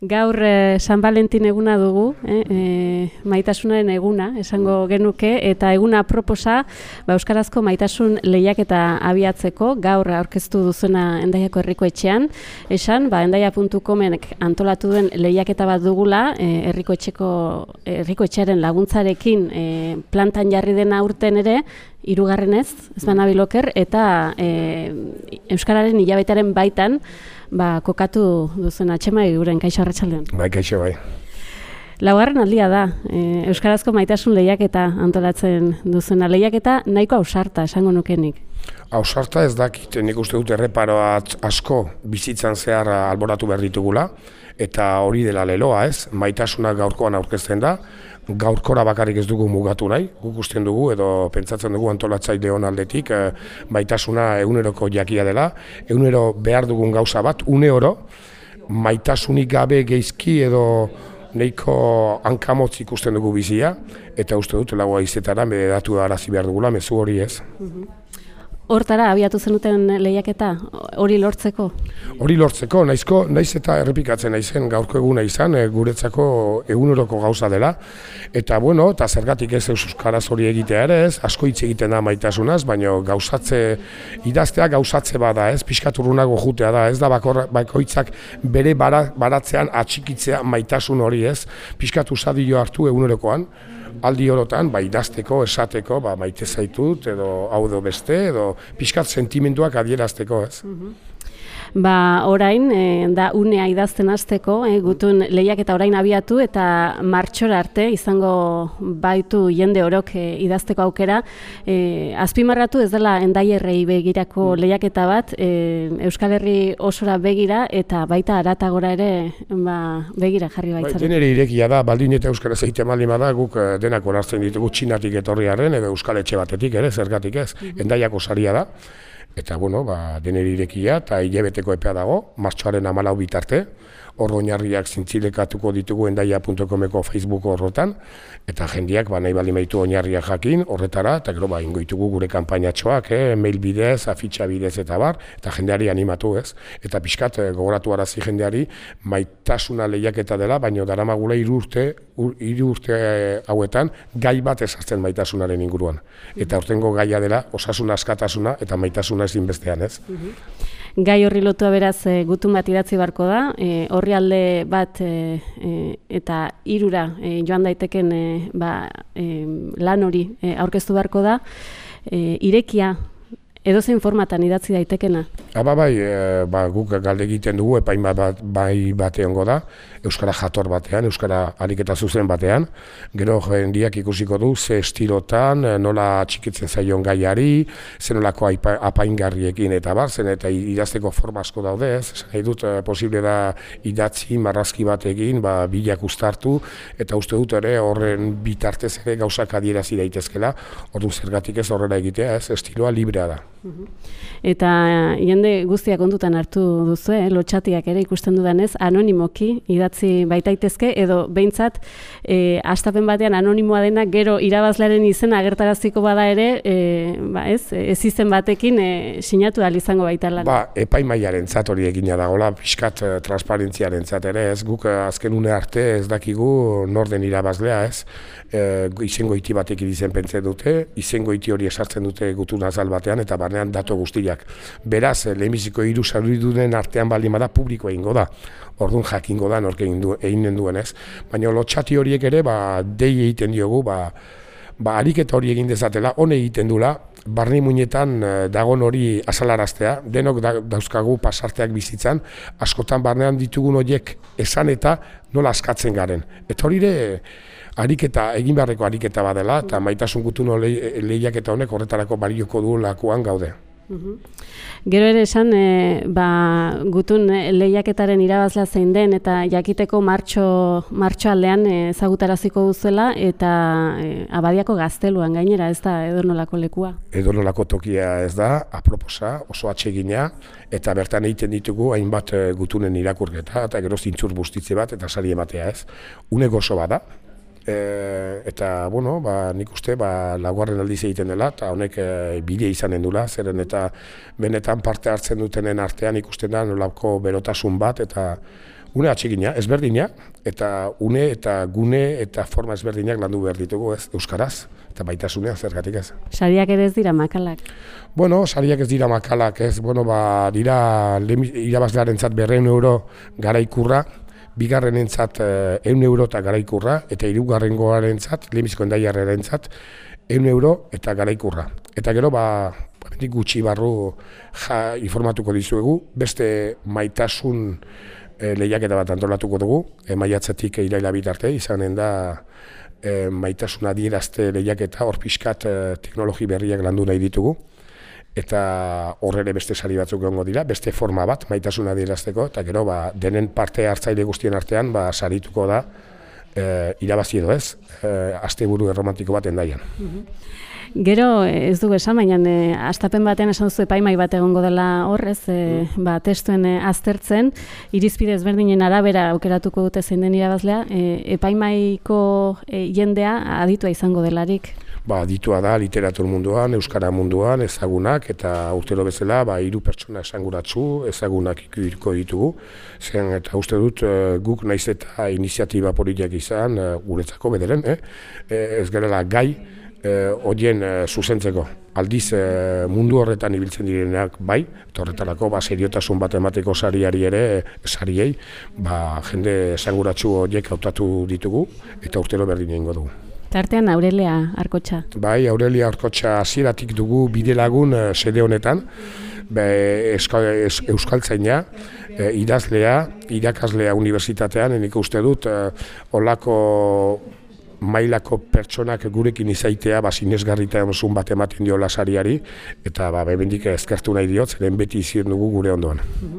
Gaur San Valentin eguna dugu, maitasunaren eguna, esango genuke, eta eguna aproposa euskarazko maitasun lehiaketa abiatzeko, gaur aurkeztu duzuna Hendaiako Herriko Etxean, esan, hendaia.comek antolatu duen lehiaketa bat dugula, Herriko Etxearen laguntzarekin plantan jarri dena urten ere, hirugarrenez, ez banabiloker, eta euskararen hilabetearen baitan, kokatu duzen atxemai guren, kaixo arratsaldean. Bai, kaixo, bai. Laugarren aldia da, euskarazko maitasun lehiaketa antolatzen duzena. Lehiaketa nahiko ausarta, esango nukenik. Ausarta ez dakit, nik uste dut erreparoa asko bizitzan zehar alboratu behar ditugula, eta hori dela leloa, ez? Maitasuna gaurkoan aurkezten da, gaurkora bakarrik ez dugu mugatu nahi, guk usten dugu edo pentsatzen dugu antolatzaile hon aldetik, maitasuna eguneroko jakia dela, egunero behar dugun gauza bat, uneoro, maitasunik gabe geizki edo nahiko hankamotz ikusten dugu bizia, eta uste dut lagoa izetara medatu arazi behar dugula, mezu hori ez. Hortara, abiatu zenuten lehiaketa, hori lortzeko? Hori lortzeko, naiz eta errepikatzen naizen gaurko eguna izan, guretzako eguneroko gauza dela. Eta eta zergatik ez euskaraz hori egitea ere ez, asko hitz egiten da maitasunaz, baina idaztea gauzatze bada ez, pixkaturrunago jutea da, ez da bakoitzak bere baratzean atxikitzea maitasun hori ez, pixkatu zadio hartu egunerokoan, aldi orotan, idazteko, esateko, maite zaitut, edo hau edo beste, edo pixkat sentimenduak adierazteko, ez? Orain, da unea idazten hasteko, gutun lehiaketa orain abiatu eta martxora arte izango baitu jende orok idazteko aukera. Azpimarratu ez dela Hendaierrei begirako lehiaketa bat, Euskal Herri osora begira eta baita haratagora ere begira jarri baitzaren. Denere irekia da, baldin eta euskaraz egiten baldin bada, guk denak onartzen ditugu Txinatik etorriaren edo Euskal Etxe batetik ere, zergatik ez, Hendaiako saria da. Eta, deneri irekia eta hilabeteko epea dago, martxoaren 14 bitarte, hor oinarriak zintzilekatuko ditugu hendaia.comeko Facebook horretan, eta jendeak nahi baldin baitu oinarriak jakin horretara, eta gero ingo ditugu gure kanpainatxoak, mail bidez, afitxa bidez eta eta jendeari animatu ez. Eta pixkat gogoratu arazi jendeari maitasuna lehiaketa dela, baina daramagula 3 urte hauetan gai bat ezartzen maitasunaren inguruan. Eta hortengo gaia dela osasun askatasuna eta maitasuna ezin bestean ez. Gai horri lotua beraz gutun bat idatzi beharko da, orrialde bat eta 3 joan daiteken lan hori aurkeztu beharko da, irekia edozein formatan idatzi daitekena? Guk galde egiten dugu, epain bat egongo da, euskara jator batean, euskara ariketa zuzen batean, gero jendiak ikusiko du ze estilotan, nola txikitzen zaion gaiari, ze nolako apaingarriekin eta eta idazteko forma asko daude, nahi dut posible da idatzi marrazki batekin, bilak uztartu, eta uste dut ere horren bitartez ere gauzak adierazi daitezkela, ordu zergatik ez horrela egitea, estiloa librea da. Eta jende guztiak kontutan hartu duzu, lotxatiak ere ikusten dudanez, anonimoki idatzi baitaitezke, edo behintzat hastapen batean anonimoa dena gero irabazlearen izena agertaraziko bada ere, ez izen batekin sinatu ahal izango baita lan. Epaimaiaren zat hori egina dagoela, pixkat transparentziaren zat ere, ez guk azken une arte ez dakigu norden irabazlea, ez izengoiti batekin izen pentsen dute, izengoiti hori esartzen dute gutun azal batean, eta barnean datu guztiak. Beraz, lehenbiziko 3 sariduden artean baldin bada publikoa egingo da. Orduan jakingo da nork egin duen ez. Baina lotxati horiek ere, dei egiten diogu, ariketa hori egin dezatela, hone egiten dula, barne muinetan dagon hori azalaraztea, denok dauzkagu pasarteak bizitzan, askotan barnean ditugun horiek esan eta nola askatzen garen. Eta hori ere, egin beharreko ariketa badela, eta maitasun gutun lehiaketa honek horretarako balioko du lakuan gaude. Gero ere esan, gutun lehiaketaren irabazlea zein den, eta jakiteko martxoaldean ezagutaraziko duzuela, eta Abadiako Gazteluan gainera, ez da edonolako lekua? Edonolako tokia ez da, aproposa, oso atsegina, eta bertan egiten ditugu hainbat gutunen irakurketa, eta gero zintzur bustitze bat, eta sari ematea ez. Une gozo bada, eta, nik uste, laugarren aldiz egiten dela, eta honek bide izanen dula, zeren eta benetan parte hartzen dutenen artean ikusten da nolako berotasun bat, eta Une atsegina, ezberdina, eta une eta gune eta forma ezberdinak landu behar ditugu, ez, euskaraz, eta baitasunean zergatik ez. Sariak ere ez dira makalak. Bueno, sariak ez dira makalak, ez, bueno, dira irabazlearentzat 200 euro garaikurra, bigarrenentzat 100 euro eta garaikurra, eta hirugarrengoarentzat, lehenbiziko endaiarrarentzat 100 euro eta garaikurra. Eta gero, gutxi barru informatuko dizuegu, beste maitasun lehiaketa bat antolatuko dugu, maiatzetik iraila bitarte, izanen da maitasuna adierazte lehiaketa, hor pixkat teknologi berriak landu nahi ditugu, eta horrere beste sari batzuk egongo dira, beste forma bat maitasuna adierazteko, eta gero denen parte hartzaile guztien artean sarituko da irabazi edo ez, asteburu erromantiko bat endaian. Gero ez dugu esan, baina hastapen batean esan duzu epaimai bat egongo dela horrez, testuen aztertzen, irizpide ezberdinen arabera aukeratuko dute zein den irabazlea, epaimaiko jendea aditua izango delarik. Aditua da literatur munduan, euskara munduan, ezagunak, eta urtero bezala 3 pertsona esanguratsu, ezagunak ikuriko ditugu. Eta uste dut guk naiz eta iniziatiba politiak izan, guretzako bederen, ez gerela gai, horien zuzentzeko. Aldiz mundu horretan ibiltzen direnak bai, eta horretarako seriotasun bat emateko sariari ere, sariei, jende esanguratsu horiek hautatu ditugu, eta urtero berdin egingo dugu. Tartean Aurelia Arkotxa. Bai, Aurelia Arkotxa hasieratik dugu bidelagun sede honetan, euskaltzaina, idazlea, irakaslea unibertsitatean, nik uste dut, olako mailako pertsonak gurekin izaitea sinesgarritasun bat ematen diola sariari, eta bemendik eskertu nahi diot, zeren beti izien dugu gure ondoan.